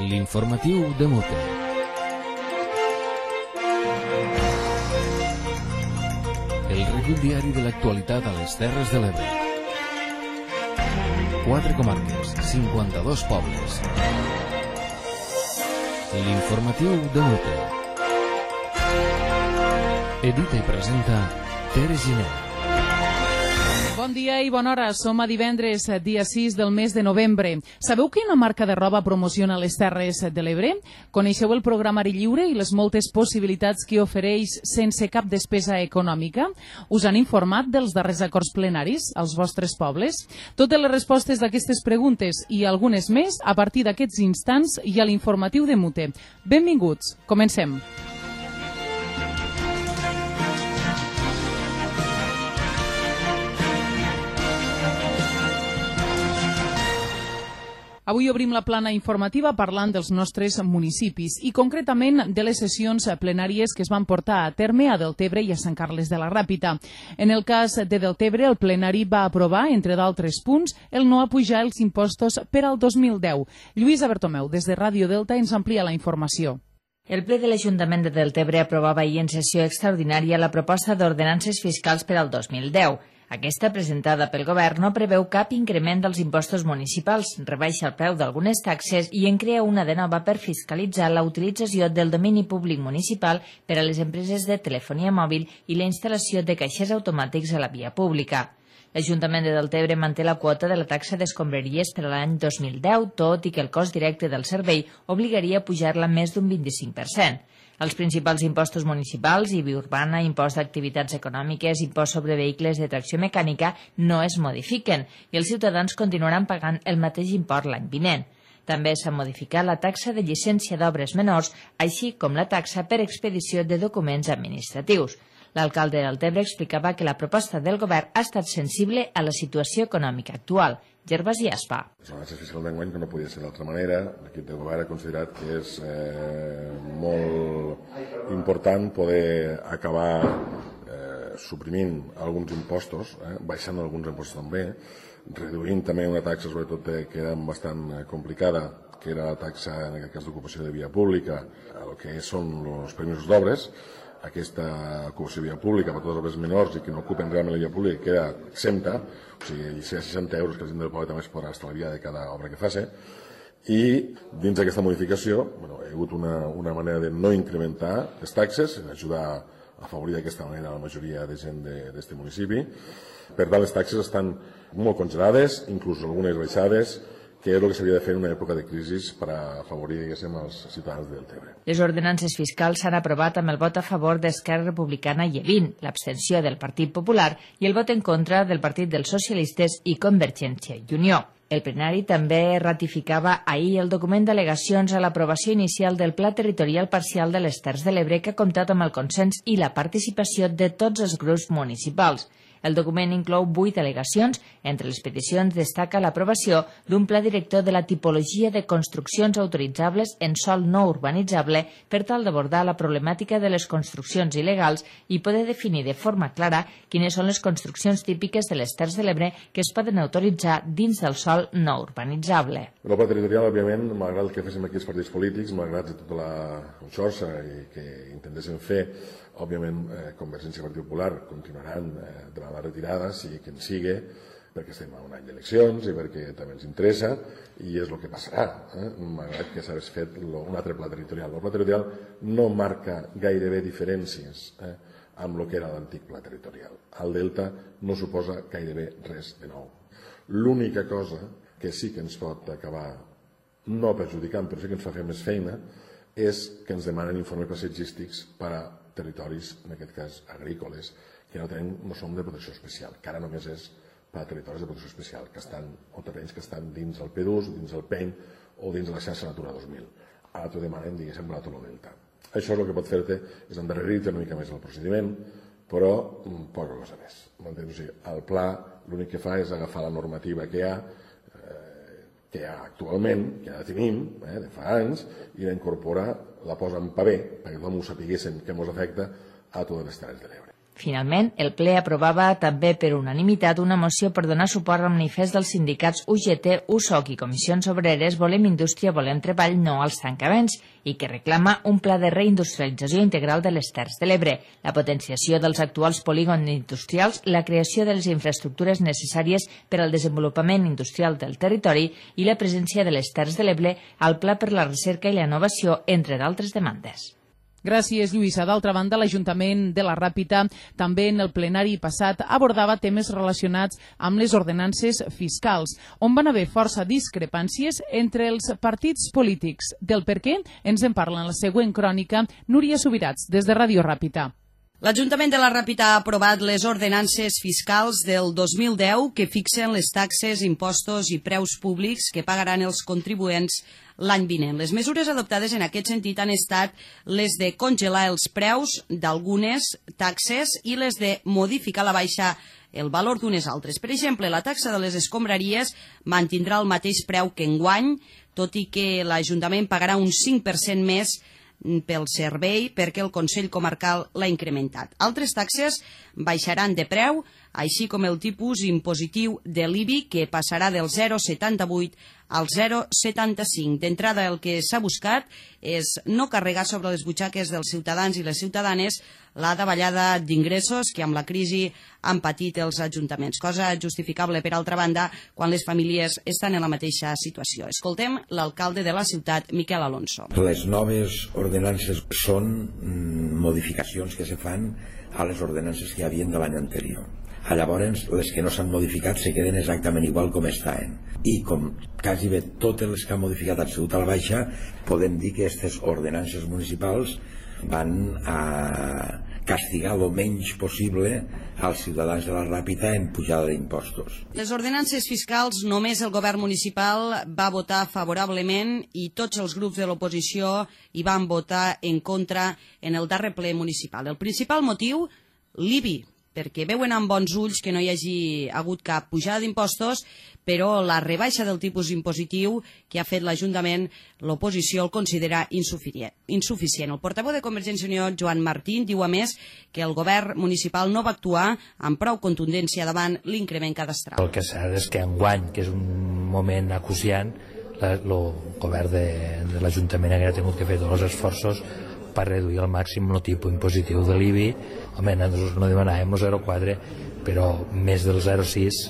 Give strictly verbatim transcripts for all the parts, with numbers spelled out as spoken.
L'informatiu de Mute. El recull diari de l'actualitat a les Terres de l'Ebre. Quatre comarques, cinquanta-dos pobles. L'informatiu de Mute. Edita i presenta Tere Giner. Bon dia i bona hora. Som a divendres, dia sis del mes de novembre. Sabeu quina marca de roba promociona les Terres de l'Ebre? Coneixeu el programari lliure i les moltes possibilitats que ofereix sense cap despesa econòmica? Us han informat dels darrers acords plenaris als vostres pobles? Totes les respostes d'aquestes preguntes i algunes més a partir d'aquests instants i a l'informatiu de Mute. Benvinguts. Comencem. Avui obrim la plana informativa parlant dels nostres municipis i concretament de les sessions plenàries que es van portar a terme a Deltebre i a Sant Carles de la Ràpita. En el cas de Deltebre, el plenari va aprovar, entre d'altres punts, el no apujar els impostos per al dos mil deu. Lluïsa Bertomeu, des de Ràdio Delta, ens amplia la informació. El ple de l'Ajuntament de Deltebre aprovava ahir en sessió extraordinària la proposta d'ordenances fiscals per al dos mil deu. Aquesta, presentada pel Govern, no preveu cap increment dels impostos municipals, rebaixa el preu d'algunes taxes i en crea una de nova per fiscalitzar la utilització del domini públic municipal per a les empreses de telefonia mòbil i la instal·lació de caixers automàtics a la via pública. L'Ajuntament de Deltebre manté la quota de la taxa d'escombraries per a l'any dos mil deu, tot i que el cost directe del servei obligaria a pujar-la més d'un vint-i-cinc per cent. Els principals impostos municipals, I B I urbana, impost d'activitats econòmiques, impost sobre vehicles de tracció mecànica, no es modifiquen i els ciutadans continuaran pagant el mateix import l'any vinent. També s'ha modificat la taxa de llicència d'obres menors, així com la taxa per expedició de documents administratius. L'alcalde de Deltebre explicava que la proposta del govern ha estat sensible a la situació econòmica actual. Gervasi Aspa. La balança fiscal d'enguany, que no podia ser d'altra manera, l'equip de govern ha considerat que és eh, molt important poder acabar eh, suprimint alguns impostos, eh, baixant alguns impostos també, reduint també una taxa, sobretot que era bastant complicada, que era la taxa, en aquest cas, d'ocupació de via pública, el que són els permisos d'obres. Aquesta ocupació de via pública per a totes les obres menors i que no ocupen realment la via pública queda exempta, o sigui, si hi ha seixanta euros que la gent del poble també es podrà estalviar de cada obra que faci. I dins d'aquesta modificació bueno, hi ha hagut una, una manera de no incrementar les taxes, ajudar a afavorir d'aquesta manera la majoria de gent d'aquest municipi. Per tant, les taxes estan molt congelades, inclús algunes baixades, que és el que s'havia de fer en una època de crisi per a afavorir, diguéssim, els ciutadans de Deltebre. Les ordenances fiscals s'han aprovat amb el vot a favor d'Esquerra Republicana i E V I N, l'abstenció del Partit Popular i el vot en contra del Partit dels Socialistes i Convergència i Unió. El plenari també ratificava ahir el document d'al·legacions a l'aprovació inicial del Pla Territorial Parcial de les Terres de l'Ebre, que ha comptat amb el consens i la participació de tots els grups municipals. El document inclou vuit al·legacions. Entre les peticions destaca l'aprovació d'un pla director de la tipologia de construccions autoritzables en sòl no urbanitzable per tal d'abordar la problemàtica de les construccions il·legals i poder definir de forma clara quines són les construccions típiques de les Terres de l'Ebre que es poden autoritzar dins del sòl no urbanitzable. El pla territorial, òbviament, malgrat el que féssim aquí els partits polítics, malgrat tota la conxorxa i que intentéssim fer, òbviament, eh, Convergència i Partit Popular continuaran eh, de la retirada, sigui quin sigui, perquè estem a un any d'eleccions i perquè també ens interessa, i és el que passarà, eh? malgrat que s'hagués fet un altre pla territorial. El pla territorial no marca gairebé diferències eh, amb el que era l'antic pla territorial. El Delta no suposa gairebé res de nou. L'única cosa que sí que ens pot acabar no perjudicant, però sí que ens fa fer més feina, és que ens demanen informes paisatgístics per a territoris, en aquest cas agrícoles, que no, tenim, no som de protecció especial, que ara només és per a territoris de protecció especial, que estan, o terrenys que estan dins el P dos, dins el P E N o dins de la xarxa Natura dos mil. Ara t'ho demanen, diguéssim, la Tolo Delta. Això és el que pot fer-te, és endarrerir-te una mica més el procediment, però poca cosa més. O sigui, el pla l'únic que fa és agafar la normativa que hi ha, que hi ha actualment, que ja la tenim, eh, de fa anys, i l'incorpora, la posa en paper, perquè tothom ho sapiguessin que ens afecta a totes les Terres de l'Ebre. Finalment, el ple aprovava també per unanimitat una moció per donar suport al manifest dels sindicats U G T, U S O C i Comissions Obreres Volem Indústria, Volem Treball, no als tancaments, i que reclama un pla de reindustrialització integral de les Terres de l'Ebre, la potenciació dels actuals polígons industrials, la creació de les infraestructures necessàries per al desenvolupament industrial del territori i la presència de les Terres de l'Ebre al Pla per la Recerca i la Innovació, entre d'altres demandes. Gràcies, Lluïsa. D'altra banda, l'Ajuntament de la Ràpita també en el plenari passat abordava temes relacionats amb les ordenances fiscals, on van haver força discrepàncies entre els partits polítics. Del per què ens en parla en la següent crònica Núria Subirats, des de Ràdio Ràpita. L'Ajuntament de la Ràpita ha aprovat les ordenances fiscals del dos mil deu que fixen les taxes, impostos i preus públics que pagaran els contribuents l'any vinent. Les mesures adoptades en aquest sentit han estat les de congelar els preus d'algunes taxes i les de modificar la baixa el valor d'unes altres. Per exemple, la taxa de les escombraries mantindrà el mateix preu que enguany, tot i que l'Ajuntament pagarà un cinc per cent més pel servei perquè el Consell Comarcal l'ha incrementat. Altres taxes baixaran de preu, així com el tipus impositiu de l'I B I, que passarà del zero coma setanta-vuit al zero coma setanta-cinc. D'entrada, el que s'ha buscat és no carregar sobre les butxaques dels ciutadans i les ciutadanes la davallada d'ingressos que amb la crisi han patit els ajuntaments, cosa justificable, per altra banda, quan les famílies estan en la mateixa situació. Escoltem l'alcalde de la ciutat, Miquel Alonso. Les noves ordenances són modificacions que se fan a les ordenances que hi havia de l'any anterior. Llavors, les que no s'han modificat se queden exactament igual com estaven. I com quasi bé totes les que han modificat han sigut a la baixa, podem dir que aquestes ordenances municipals van a castigar el menys possible als ciutadans de la Ràpita en pujada d'impostos. Les ordenances fiscals només el govern municipal va votar favorablement i tots els grups de l'oposició hi van votar en contra en el darrer ple municipal. El principal motiu, l'I B I, perquè veuen amb bons ulls que no hi hagi hagut cap pujada d'impostos, però la rebaixa del tipus impositiu que ha fet l'Ajuntament, l'oposició el considera insuficient. El portaveu de Convergència i Unió, Joan Martín, diu a més que el govern municipal no va actuar amb prou contundència davant l'increment cadastral. El que cert és que enguany, que és un moment acuciant, el govern de, de l'Ajuntament ha tingut que fer tots els esforços per reduir al màxim el tipus impositiu de l'I B I. Home, nosaltres no demanàvem el zero coma quatre, però més del zero coma sis,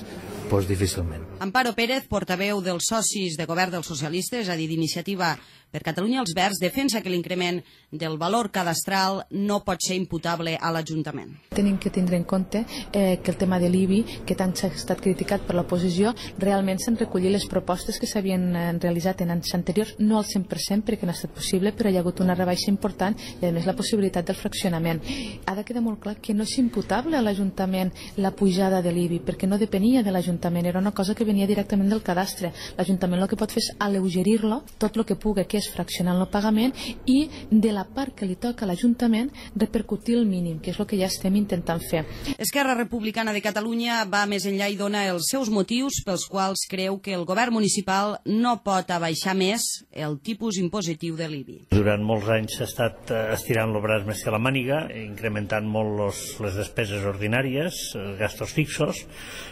doncs difícilment. Amparo Pérez, portaveu dels socis de govern dels socialistes, és a dir, d'Iniciativa per Catalunya els Verds, defensa que l'increment del valor cadastral no pot ser imputable a l'Ajuntament. Tenim que tindre en compte eh, que el tema de l'I B I, que tant s'ha estat criticat per l'oposició, realment s'han recollit les propostes que s'havien eh, realitzat en anys anteriors, no al cent per cent perquè no ha estat possible, però hi ha hagut una rebaixa important i a més la possibilitat del fraccionament. Ha de quedar molt clar que no és imputable a l'Ajuntament la pujada de l'I B I, perquè no depenia de l'Ajuntament, era una cosa que venia directament del cadastre. L'Ajuntament el que pot fer és alleugerir-lo tot el que pugui, que és fraccionar el pagament, i de la part que li toca a l'Ajuntament repercutir el mínim, que és el que ja estem intentant fer. Esquerra Republicana de Catalunya va més enllà i dona els seus motius pels quals creu que el govern municipal no pot abaixar més el tipus impositiu de l'I B I. Durant molts anys s'ha estat estirant el braç més que la màniga, incrementant molt los, les despeses ordinàries, gastos fixos,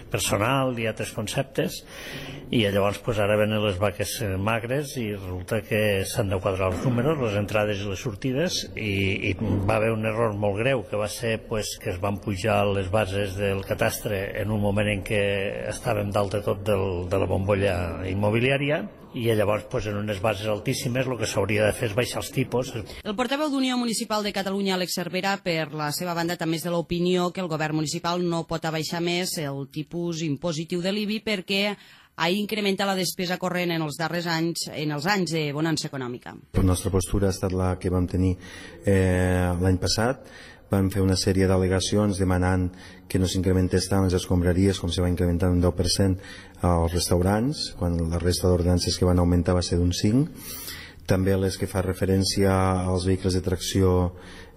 personal i altres conceptes, i llavors pues, ara venen les vaques magres i resulta que s'han de quadrar els números, les entrades i les sortides, i, i va haver un error molt greu que va ser pues, que es van pujar les bases del catastre en un moment en què estàvem dalt de tot del, de la bombolla immobiliària, i llavors pues, en unes bases altíssimes el que s'hauria de fer és baixar els tipus. El portaveu d'Unió Municipal de Catalunya, Àlex Cervera, per la seva banda també és de l'opinió que el govern municipal no pot abaixar més el tipus impositiu de l'I B I perquè ha incrementat la despesa corrent en els darrers anys, en els anys de bonança econòmica. La nostra postura ha estat la que vam tenir eh, l'any passat. Vam fer una sèrie d'al·legacions demanant que no s'incrementés tant les escombraries com se va incrementar un deu per cent als restaurants, quan la resta d'ordenances que van augmentar va ser d'un cinc per cent. També les que fa referència als vehicles de tracció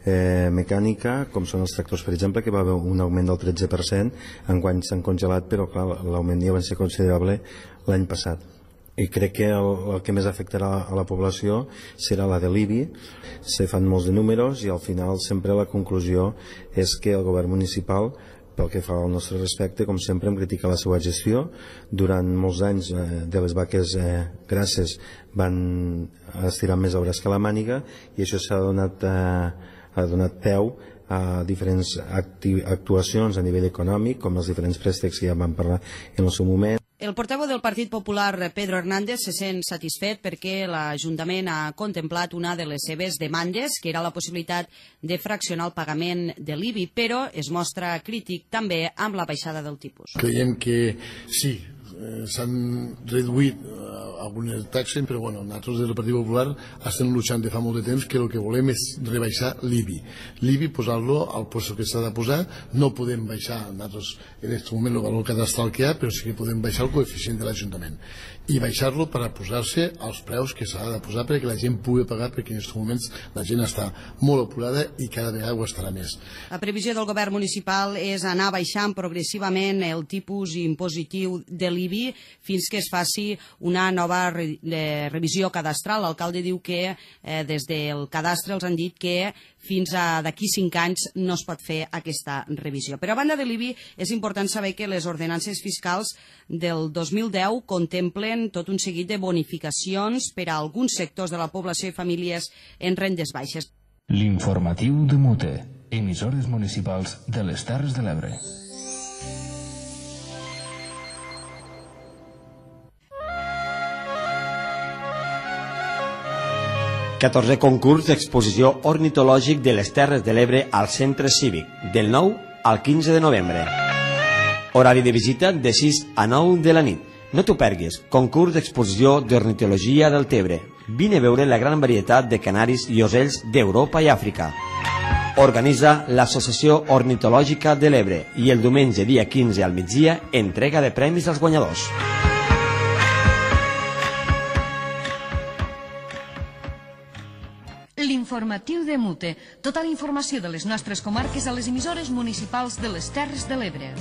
eh, mecànica, com són els tractors, per exemple, que va haver un augment del tretze per cent, enguany s'han congelat, però clar, l'augment ja va ser considerable l'any passat. i crec que el, el que més afectarà a la població serà la de l'I B I. Se fan molts de números i al final sempre la conclusió és que el govern municipal, pel que fa al nostre respecte, com sempre hem criticat la seva gestió. Durant molts anys eh, de les vaques eh, grasses van estirar més el braç que la màniga i això s'ha donat, eh, ha donat peu a diferents actuacions a nivell econòmic, com els diferents préstecs que ja vam parlar en el seu moment. El portaveu del Partit Popular, Pedro Hernández, se sent satisfet perquè l'Ajuntament ha contemplat una de les seves demandes, que era la possibilitat de fraccionar el pagament de l'I B I, però es mostra crític també amb la baixada del tipus. Creiem que sí, eh, s'han reduït eh, algunes taxes, però bueno, nosaltres des del Partit Popular estem luchant de fa molt de temps que el que volem és rebaixar l'I B I. L'I B I posar-lo al lloc que s'ha de posar, no podem baixar nosaltres en aquest moment el valor cadastral que hi ha, però sí que podem baixar el coeficient de l'Ajuntament i baixar-lo per a posar-se als preus que s'ha de posar perquè la gent pugui pagar, perquè en aquests moments la gent està molt apurada i cada vegada ho estarà més. La previsió del govern municipal és anar baixant progressivament el tipus impositiu de l'I B I fins que es faci una nova re revisió cadastral. L'alcalde diu que eh, des del cadastre els han dit que fins a d'aquí cinc anys no es pot fer aquesta revisió. Però a banda de l'I B I és important saber que les ordenances fiscals del dos mil deu contemplen tot un seguit de bonificacions per a alguns sectors de la població i famílies en rendes baixes. L'informatiu de Mute, emissores municipals de les Terres de l'Ebre. catorzè concurs d'exposició ornitològic de les Terres de l'Ebre al Centre Cívic, del nou al quinze de novembre. Horari de visita de sis a nou de la nit. No t'ho perguis, concurs d'exposició d'ornitologia del Tebre. Vine a veure la gran varietat de canaris i ocells d'Europa i Àfrica. Organitza l'Associació Ornitològica de l'Ebre i el diumenge dia quinze al migdia entrega de premis als guanyadors. L'informatiu de Mute. Tota la informació de les nostres comarques a les emissores municipals de les Terres de l'Ebre.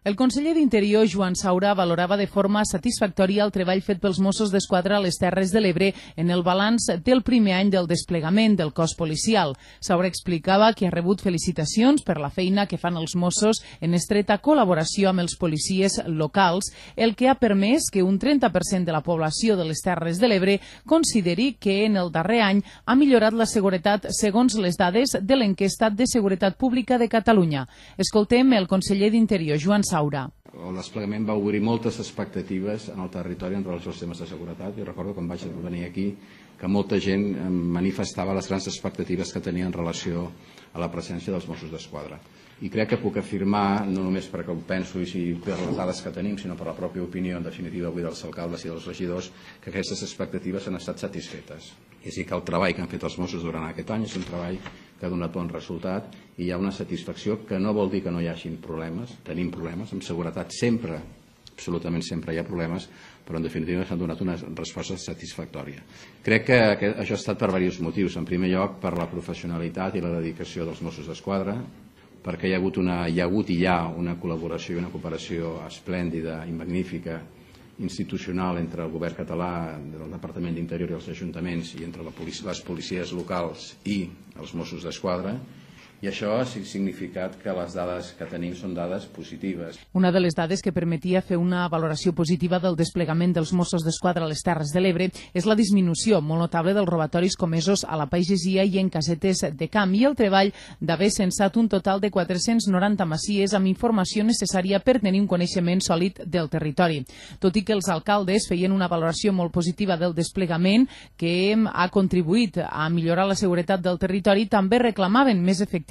El conseller d'Interior, Joan Saura, valorava de forma satisfactòria el treball fet pels Mossos d'Esquadra a les Terres de l'Ebre en el balanç del primer any del desplegament del cos policial. Saura explicava que ha rebut felicitacions per la feina que fan els Mossos en estreta col·laboració amb els policies locals, el que ha permès que un trenta per cent de la població de les Terres de l'Ebre consideri que en el darrer any ha millorat la seguretat segons les dades de l'enquesta de Seguretat Pública de Catalunya. Escoltem el conseller d'Interior, Joan Saura. El desplegament va obrir moltes expectatives en el territori en relació als temes de seguretat. Jo recordo quan vaig venir aquí que molta gent manifestava les grans expectatives que tenia en relació a la presència dels Mossos d'Esquadra. I crec que puc afirmar, no només perquè ho penso i per les dades que tenim, sinó per la pròpia opinió, en definitiva, avui dels alcaldes i dels regidors, que aquestes expectatives han estat satisfetes. I sí que el treball que han fet els Mossos durant aquest any és un treball que ha donat bon resultat i hi ha una satisfacció que no vol dir que no hi hagin problemes, tenim problemes, amb seguretat sempre, absolutament sempre hi ha problemes, però en definitiva s'han donat una resposta satisfactòria. Crec que això ha estat per diversos motius. En primer lloc, per la professionalitat i la dedicació dels Mossos d'Esquadra, perquè hi ha hagut, una, hi ha hagut i hi ha una col·laboració i una cooperació esplèndida i magnífica institucional entre el govern català, el Departament d'Interior i els ajuntaments i entre les policies locals i els Mossos d'Esquadra, i això ha significat que les dades que tenim són dades positives. Una de les dades que permetia fer una valoració positiva del desplegament dels Mossos d'Esquadra a les Terres de l'Ebre és la disminució molt notable dels robatoris comesos a la pagesia i en casetes de camp i el treball d'haver censat un total de quatre-cents noranta masies amb informació necessària per tenir un coneixement sòlid del territori. Tot i que els alcaldes feien una valoració molt positiva del desplegament que ha contribuït a millorar la seguretat del territori, també reclamaven més efectius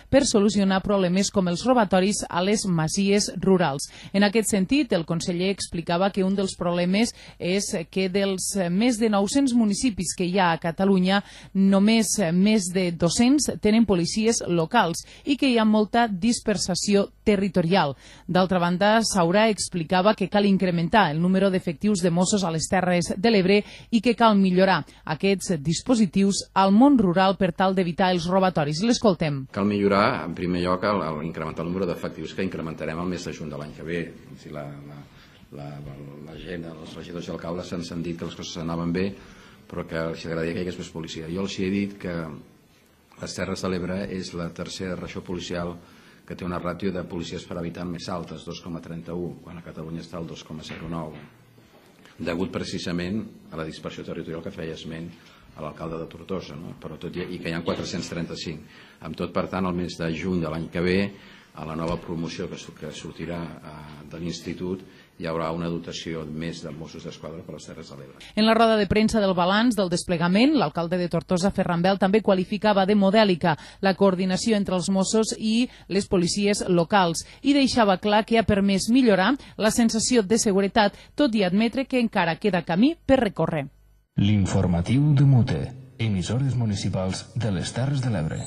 per solucionar problemes com els robatoris a les masies rurals. En aquest sentit, el conseller explicava que un dels problemes és que dels més de nou-cents municipis que hi ha a Catalunya, només més de dos-cents tenen policies locals i que hi ha molta dispersació territorial. D'altra banda, Saura explicava que cal incrementar el número d'efectius de Mossos a les Terres de l'Ebre i que cal millorar aquests dispositius al món rural per tal d'evitar els robatoris. L'escoltem. cal millorar, en primer lloc, el, el incrementar el número d'efectius que incrementarem el mes de juny de l'any que ve. Si la, la, la, la gent, els regidors i alcaldes s'han dit que les coses anaven bé, però que els agradaria que hi hagués més policia. Jo els he dit que les Terres de l'Ebre és la tercera regió policial que té una ràtio de policies per habitant més altes, dos coma trenta-u, quan a Catalunya està al dos coma zero nou, degut precisament a la dispersió territorial que feia esment a l'alcalde de Tortosa, no? Però tot i, i que hi ha quatre-cents trenta-cinc. Amb tot, per tant, el mes de juny de l'any que ve, a la nova promoció que, que sortirà eh, de l'Institut, hi haurà una dotació més de Mossos d'Esquadra per les Terres de l'Ebre. En la roda de premsa del balanç del desplegament, l'alcalde de Tortosa, Ferran Bel, també qualificava de modèlica la coordinació entre els Mossos i les policies locals i deixava clar que ha permès millorar la sensació de seguretat, tot i admetre que encara queda camí per recórrer. L'informatiu de Mute, emissores municipals de les Terres de l'Ebre.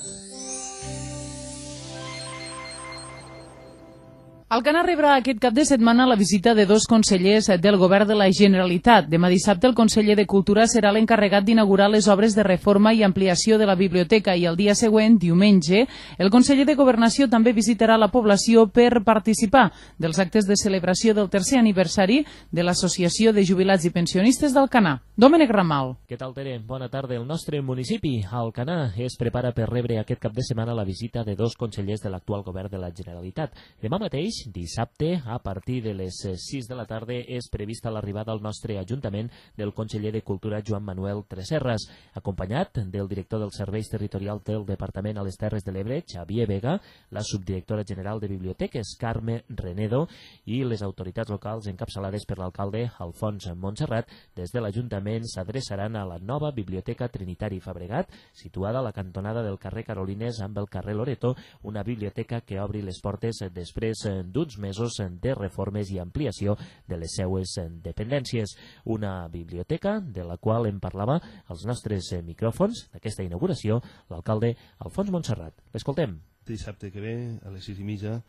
Alcanar rebrà aquest cap de setmana la visita de dos consellers del Govern de la Generalitat. Demà dissabte el conseller de Cultura serà l'encarregat d'inaugurar les obres de reforma i ampliació de la biblioteca i el dia següent, diumenge, el conseller de Governació també visitarà la població per participar dels actes de celebració del tercer aniversari de l'Associació de Jubilats i Pensionistes d'Alcanar. Domènec Ramal. Què tal, Tere? Bona tarda. El nostre municipi, Alcanar, es prepara per rebre aquest cap de setmana la visita de dos consellers de l'actual Govern de la Generalitat. Demà mateix, dissabte, a partir de les sis de la tarda, és prevista l'arribada al nostre Ajuntament del conseller de Cultura, Joan Manuel Tresserras, acompanyat del director dels Serveis Territorials del Departament a les Terres de l'Ebre, Xavier Vega, la subdirectora general de Biblioteques, Carme Renedo, i les autoritats locals encapçalades per l'alcalde Alfons Montserrat. Des de l'Ajuntament s'adreçaran a la nova Biblioteca Trinitari Fabregat, situada a la cantonada del carrer Carolines amb el carrer Loreto, una biblioteca que obri les portes després d'uns mesos de reformes i ampliació de les seues dependències. Una biblioteca de la qual en parlava als nostres micròfons d'aquesta inauguració l'alcalde Alfons Montserrat. L'escoltem. Dissabte que ve, a les sis i mitja,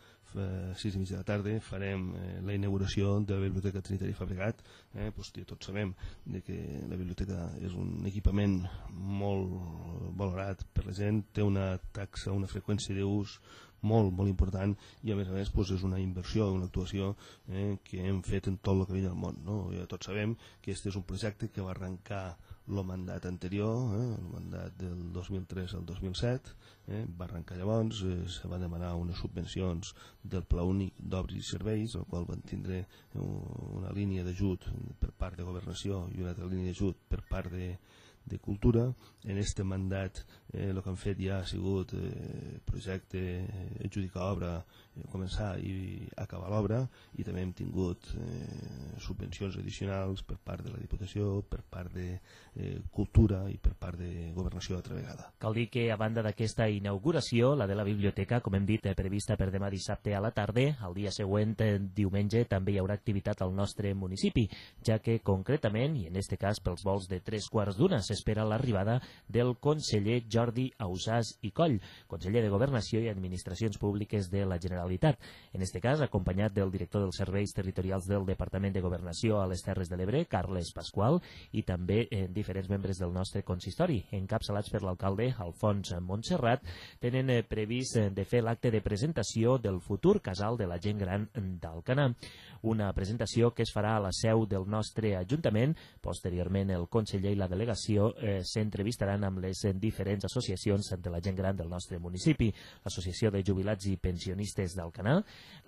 sis i mitja de la tarda, farem eh, la inauguració de la Biblioteca Trinitari Fabregat. Eh, doncs, tots sabem de que la biblioteca és un equipament molt valorat per la gent, té una taxa, una freqüència d'ús molt, molt important, i a més a més doncs, és una inversió, una actuació eh, que hem fet en tot el que veia al món, no? Ja tots sabem que aquest és un projecte que va arrencar el mandat anterior, eh, el mandat del dos mil tres al dos mil set, eh, va arrencar llavors, eh, se van demanar unes subvencions del Pla Únic d'Obres i Serveis, el qual van tindre una línia d'ajut per part de Governació i una altra línia d'ajut per part de de Cultura. En aquest mandat eh, el que han fet ja ha sigut eh, projecte, eh, adjudicar obra, eh, començar i acabar l'obra, i també hem tingut eh, subvencions addicionals per part de la Diputació, per part de eh, Cultura i per part de Governació altra vegada. Cal dir que a banda d'aquesta inauguració, la de la biblioteca, com hem dit, prevista per demà dissabte a la tarda, el dia següent, diumenge, també hi haurà activitat al nostre municipi, ja que concretament, i en aquest cas pels vols de tres quarts d'una, s'espera l'arribada del conseller Jordi Ausàs i Coll, conseller de Governació i Administracions Públiques de la Generalitat. En aquest cas, acompanyat del director dels Serveis Territorials del Departament de Governació a les Terres de l'Ebre, Carles Pasqual, i també eh, diferents membres del nostre consistori, encapçalats per l'alcalde Alfons Montserrat, tenen eh, previst eh, de fer l'acte de presentació del futur casal de la gent gran d'Alcanar. Una presentació que es farà a la seu del nostre Ajuntament. Posteriorment, el conseller i la delegació eh, s'entrevistaran amb les diferents associacions de la gent gran del nostre municipi, l'Associació de Jubilats i Pensionistes d'Alcanar,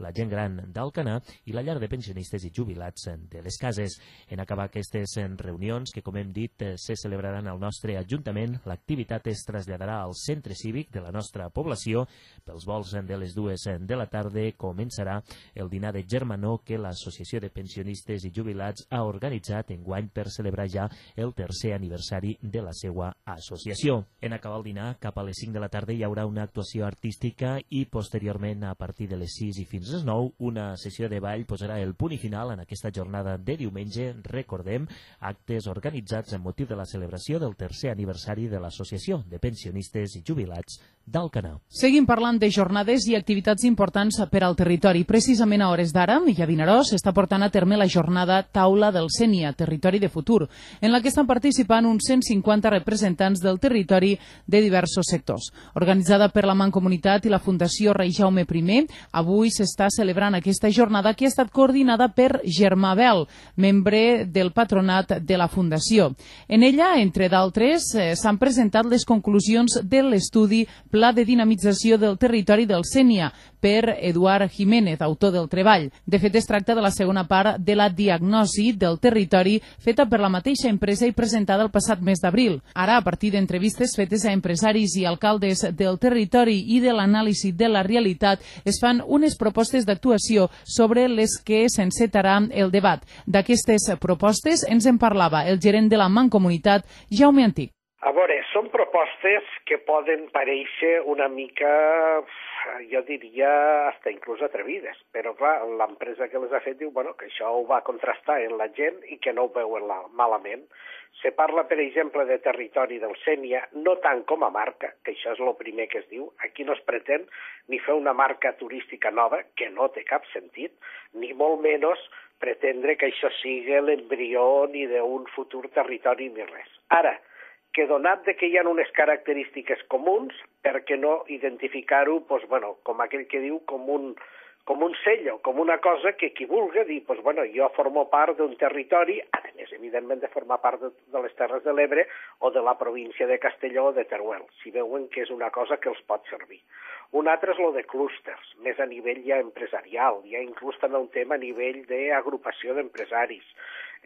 la gent gran d'Alcanar i la llar de pensionistes i jubilats de les cases. En acabar aquestes reunions, que com hem dit se celebraran al nostre Ajuntament, l'activitat es traslladarà al centre cívic de la nostra població. Pels vols de les dues de la tarda començarà el dinar de germanor que l'Associació de Pensionistes i Jubilats ha organitzat enguany per celebrar ja el tercer aniversari de la seva associació. En acabar el dinar, cap a les cinc de la tarda hi haurà una actuació artística i posteriorment, a partir de les sis i fins a les nou, una sessió de ball posarà el punt i final en aquesta jornada de diumenge. Recordem, actes organitzats amb motiu de la celebració del tercer aniversari de l'Associació de Pensionistes i Jubilats d'Alcanar. Seguim parlant de jornades i activitats importants per al territori. Precisament a hores d'ara, i a Vinaròs, s'està portant a terme la jornada Taula del Sénia, Territori de Futur, en la que estan participant uns cent cinquanta representants del territori de diversos sectors. Organitzada per la Mancomunitat i la Fundació Rei Jaume I, avui s'està celebrant aquesta jornada que ha estat coordinada per Germà Bel, membre del patronat de la Fundació. En ella, entre d'altres, s'han presentat les conclusions de l'estudi Pla de Dinamització del Territori del Sénia per Eduard Jiménez, autor del treball. De fet, es tracta de la segona part de la diagnosi del territori feta per la mateixa empresa i presentada el passat mes d'abril. Ara, a partir d'entrevistes fetes a empresaris i alcaldes del territori i de l'anàlisi de la realitat, es fan unes propostes d'actuació sobre les que s'encetarà el debat. D'aquestes propostes ens en parlava el gerent de la Mancomunitat, Jaume Antic. A veure, són propostes que poden parèixer una mica, jo diria, hasta inclús atrevides, però clar, l'empresa que les ha fet diu bueno, que això ho va contrastar en la gent i que no ho veuen malament. Se parla, per exemple, de territori del Sénia, no tant com a marca, que això és el primer que es diu. Aquí no es pretén ni fer una marca turística nova, que no té cap sentit, ni molt menys pretendre que això sigui l'embrió ni d'un futur territori ni res. Ara, que donat de que hi ha unes característiques comuns, per què no identificar-ho, doncs, bueno, com aquell que diu, com un, com un sello, com una cosa que qui vulgui dir, doncs, bueno, jo formo part d'un territori, a més, evidentment, de formar part de, de les Terres de l'Ebre o de la província de Castelló o de Teruel, si veuen que és una cosa que els pot servir. Un altre és el de clústers, més a nivell ja empresarial, ja inclús també un tema a nivell d'agrupació d'empresaris.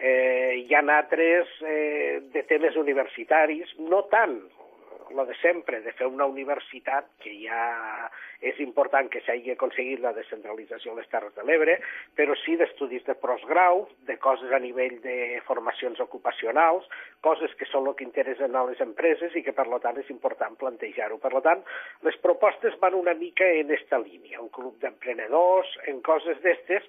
Eh, hi ha altres eh, de temes universitaris, no tant el de sempre, de fer una universitat que ja és important que s'hagi aconseguit la descentralització a les Terres de l'Ebre, però sí d'estudis de postgrau, de coses a nivell de formacions ocupacionals, coses que són el que interessen a les empreses i que per tant és important plantejar-ho. Per tant, les propostes van una mica en aquesta línia, un club d'emprenedors, en coses d'estes.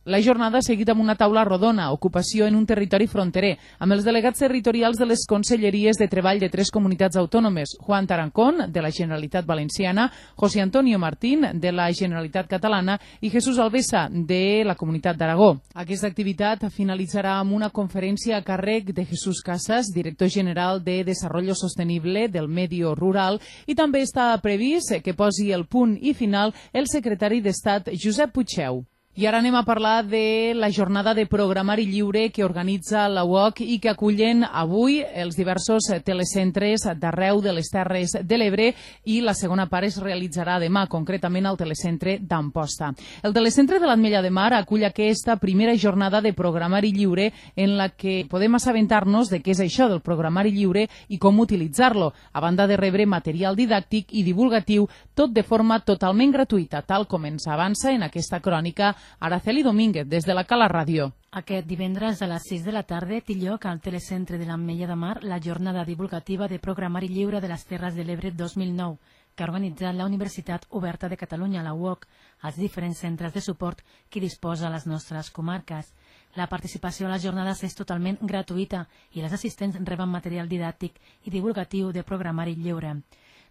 La jornada ha seguit amb una taula rodona, ocupació en un territori fronterer, amb els delegats territorials de les conselleries de treball de tres comunitats autònomes, Juan Tarancón, de la Generalitat Valenciana, José Antonio Martín, de la Generalitat Catalana, i Jesús Alvesa, de la Comunitat d'Aragó. Aquesta activitat finalitzarà amb una conferència a càrrec de Jesús Casas, director general de Desarrollo Sostenible del Medio Rural, i també està previst que posi el punt i final el secretari d'Estat Josep Puigdeu. I ara anem a parlar de la jornada de programari lliure que organitza la U O C i que acullen avui els diversos telecentres d'arreu de les Terres de l'Ebre, i la segona part es realitzarà demà, concretament al telecentre d'Amposta. El telecentre de l'Ametlla de Mar acull aquesta primera jornada de programari lliure en la que podem assabentar-nos de què és això del programari lliure i com utilitzar-lo, a banda de rebre material didàctic i divulgatiu, tot de forma totalment gratuïta, tal com ens avança en aquesta crònica Araceli Domínguez, des de la Cala Ràdio. Aquest divendres a les sis de la tarda té lloc al telecentre de l'Ametlla de Mar la jornada divulgativa de programari lliure de les Terres de l'Ebre dos mil nou, que ha organitzat la Universitat Oberta de Catalunya, la U O C, als diferents centres de suport que disposa a les nostres comarques. La participació a les jornades és totalment gratuïta i les assistents reben material didàctic i divulgatiu de programari lliure.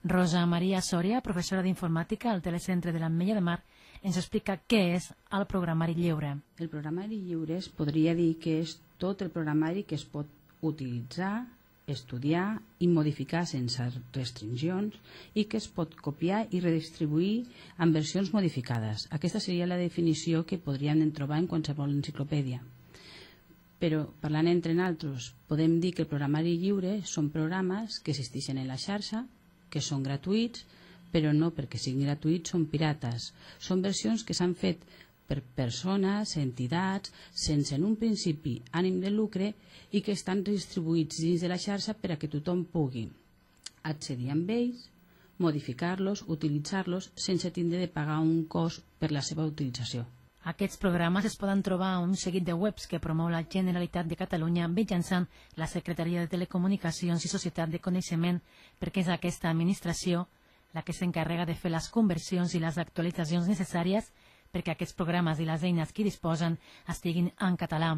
Rosa Maria Sòria, professora d'informàtica al telecentre de l'Ametlla de Mar, ens explica què és el programari lliure. El programari lliure es podria dir que és tot el programari que es pot utilitzar, estudiar i modificar sense restriccions i que es pot copiar i redistribuir en versions modificades. Aquesta seria la definició que podríem trobar en qualsevol enciclopèdia. Però, parlant entre nosaltres, podem dir que el programari lliure són programes que existeixen en la xarxa, que són gratuïts, però no perquè siguin gratuïts són pirates. Són versions que s'han fet per persones, entitats, sense en un principi ànim de lucre i que estan distribuïts dins de la xarxa per a que tothom pugui accedir amb ells, modificar-los, utilitzar-los sense tindre de pagar un cost per la seva utilització. Aquests programes es poden trobar a un seguit de webs que promou la Generalitat de Catalunya mitjançant la Secretaria de Telecomunicacions i Societat de Coneixement, perquè és aquesta administració la que s'encarrega de fer les conversions i les actualitzacions necessàries perquè aquests programes i les eines que disposen estiguin en català.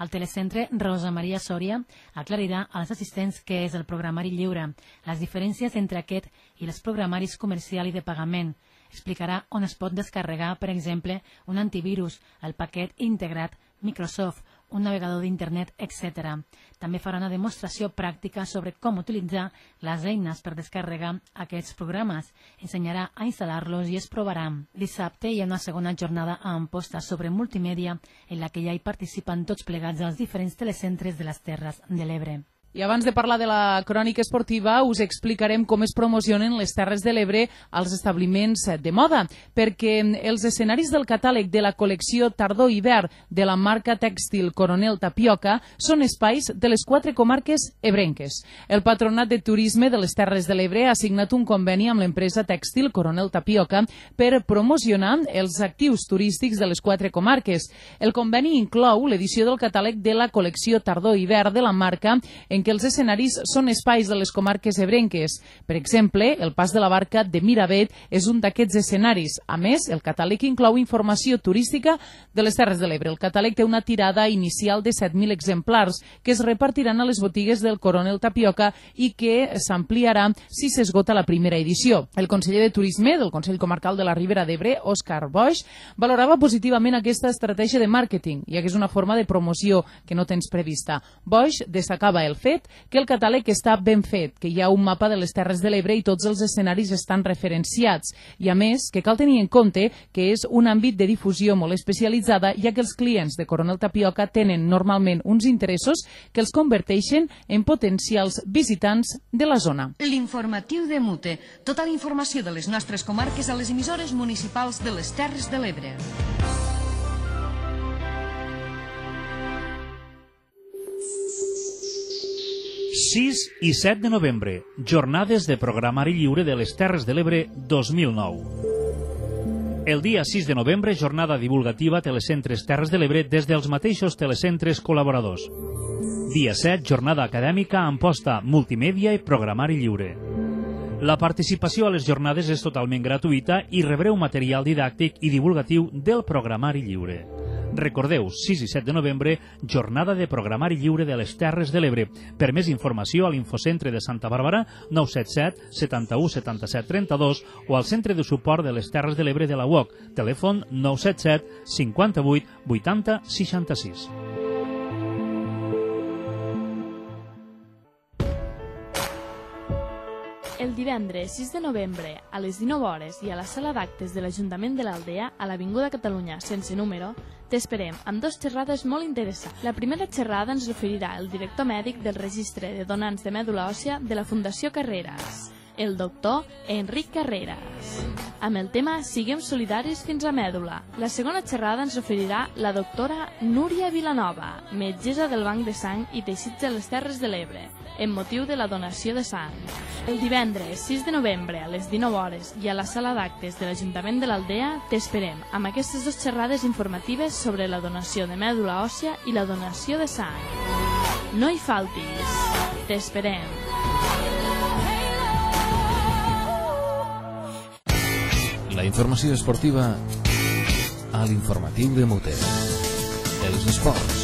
Al telecentre, Rosa Maria Sòria aclarirà als assistents què és el programari lliure, les diferències entre aquest i els programaris comercial i de pagament. Explicarà on es pot descarregar, per exemple, un antivirus, el paquet integrat Microsoft, un navegador d'internet, etcètera. També farà una demostració pràctica sobre com utilitzar les eines per descarregar aquests programes. Ensenyarà a instal·lar-los i es provarà. Dissabte hi ha una segona jornada a Amposta sobre multimèdia en la que ja hi participen tots plegats als diferents telecentres de les Terres de l'Ebre. I abans de parlar de la crònica esportiva, us explicarem com es promocionen les Terres de l'Ebre als establiments de moda, perquè els escenaris del catàleg de la col·lecció tardor-hivern de la marca tèxtil Coronel Tapioca són espais de les quatre comarques ebrenques. El Patronat de Turisme de les Terres de l'Ebre ha signat un conveni amb l'empresa tèxtil Coronel Tapioca per promocionar els actius turístics de les quatre comarques. El conveni inclou l'edició del catàleg de la col·lecció tardor-hivern de la marca en que els escenaris són espais de les comarques ebrenques. Per exemple, el Pas de la Barca de Miravet és un d'aquests escenaris. A més, el catàleg inclou informació turística de les Terres de l'Ebre. El catàleg té una tirada inicial de set mil exemplars que es repartiran a les botigues del Coronel Tapioca i que s'ampliarà si s'esgota la primera edició. El conseller de Turisme del Consell Comarcal de la Ribera d'Ebre, Òscar Boix, valorava positivament aquesta estratègia de màrqueting, ja que és una forma de promoció que no tens prevista. Boix destacava el fet que el catàleg està ben fet, que hi ha un mapa de les Terres de l'Ebre i tots els escenaris estan referenciats. I a més, que cal tenir en compte que és un àmbit de difusió molt especialitzada, ja que els clients de Coronel Tapioca tenen normalment uns interessos que els converteixen en potencials visitants de la zona. L'informatiu de Mute. Tota la informació de les nostres comarques a les emissores municipals de les Terres de l'Ebre. sis i set de novembre, jornades de programari lliure de les Terres de l'Ebre dos mil nou. El dia sis de novembre, jornada divulgativa Telecentres Terres de l'Ebre des dels mateixos telecentres col·laboradors. Dia set, jornada acadèmica a Amposta, multimèdia i programari lliure. La participació a les jornades és totalment gratuïta i rebreu material didàctic i divulgatiu del programari lliure. Recordeu, sis i set de novembre, jornada de programari lliure de les Terres de l'Ebre. Per més informació a l'Infocentre de Santa Bàrbara, nou set set, setanta-u, setanta-set, trenta-dos o al Centre de Suport de les Terres de l'Ebre de la U O C, telèfon nou set set, cinquanta-vuit, vuitanta, seixanta-sis. El divendres sis de novembre, a les dinou hores i a la sala d'actes de l'Ajuntament de l'Aldea, a l'Avinguda Catalunya sense número, t'esperem amb dues xerrades molt interessants. La primera xerrada ens oferirà el director mèdic del Registre de Donants de Mèdula Òssia de la Fundació Carreras, el doctor Enric Carreras, amb el tema Siguem solidaris fins a mèdula. La segona xerrada ens oferirà la doctora Núria Vilanova, metgessa del Banc de Sang i Teixits de les Terres de l'Ebre, en motiu de la donació de sang. El divendres sis de novembre a les dinou hores i a la sala d'actes de l'Ajuntament de l'Aldea t'esperem amb aquestes dues xerrades informatives sobre la donació de mèdula òssia i la donació de sang. No hi faltis. T'esperem. La informació esportiva a l'informatiu de Mute. Els esports.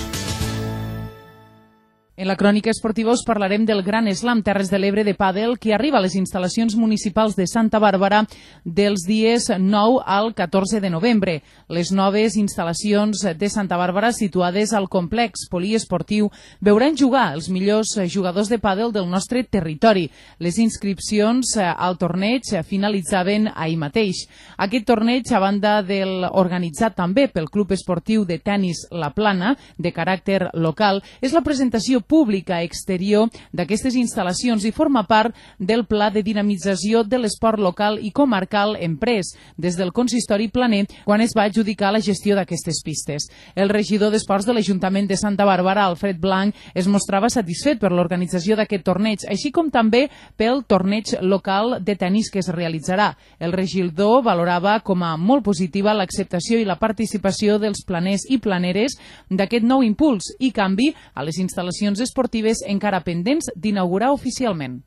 En la crònica esportiva us parlarem del Gran Slam Terres de l'Ebre de pàdel que arriba a les instal·lacions municipals de Santa Bàrbara dels dies nou al catorze de novembre. Les noves instal·lacions de Santa Bàrbara situades al complex poliesportiu veuran jugar els millors jugadors de pàdel del nostre territori. Les inscripcions al torneig finalitzaven ahir mateix. Aquest torneig, a banda del organitzat també pel Club Esportiu de Tenis La Plana, de caràcter local, és la presentació pública exterior d'aquestes instal·lacions i forma part del pla de dinamització de l'esport local i comarcal emprès des del consistori planer quan es va adjudicar la gestió d'aquestes pistes. El regidor d'Esports de l'Ajuntament de Santa Bàrbara, Alfred Blanc, es mostrava satisfet per l'organització d'aquest torneig, així com també pel torneig local de tenis que es realitzarà. El regidor valorava com a molt positiva l'acceptació i la participació dels planers i planeres d'aquest nou impuls i canvi a les instal·lacions esportives encara pendents d'inaugurar oficialment.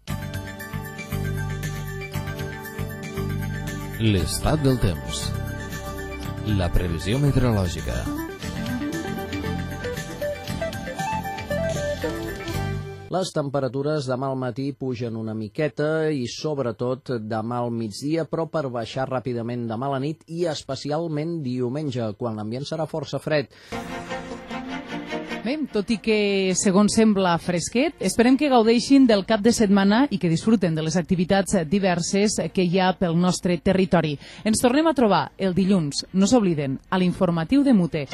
L'estat del temps. La previsió meteorològica. Les temperatures demà al matí pugen una miqueta i sobretot demà al migdia, però per baixar ràpidament demà a la nit i especialment diumenge, quan l'ambient serà força fred. Bé, tot i que, segons sembla, fresquet, esperem que gaudeixin del cap de setmana i que disfruten de les activitats diverses que hi ha pel nostre territori. Ens tornem a trobar el dilluns, no s'obliden, a l'informatiu de Mute.